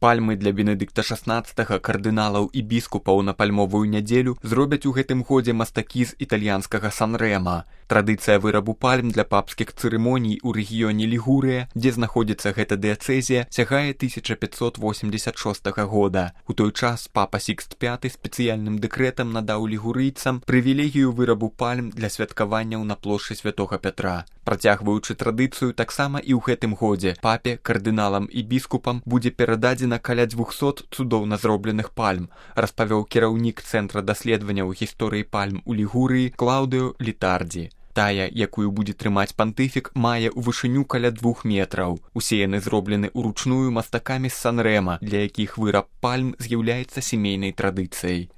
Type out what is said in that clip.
Пальмы для Бенедыкта XVI, кардыналаў і біскупаў на пальмовую нядзелю зробяць у гэтым годзе мастакі з італьянскага Сан-Рэма. Традыцыя вырабу пальм для папскіх цырымоній у рэгіёне Лігурыя, дзе знаходзіцца гэта дыяцэзія, сягае 1586 года. У той час папа Сікст V спецыяльным дэкрэтам надаў лігурыйцам прывілегію вырабу пальм для святкаванняў на плошчы Святога Пятра. Працягваючы традыцыю, таксама і ў гэтым годзе папе, кардыналам і біскупам будзе перададзена каля 200 цудоўна зробленых пальм, распавёў кіраўнік Цэнтра даследаванняў гісторыі пальм у Лігурыі Клаўдыо Літардзі. Тая, якую будзе трымаць пантыфік, мае ў вышыню каля 2 метраў. Усе яны зроблены ўручную мастакамі з Сан-Рэма, для якіх выраб пальм з'яўляецца сямейнай традыцыяй.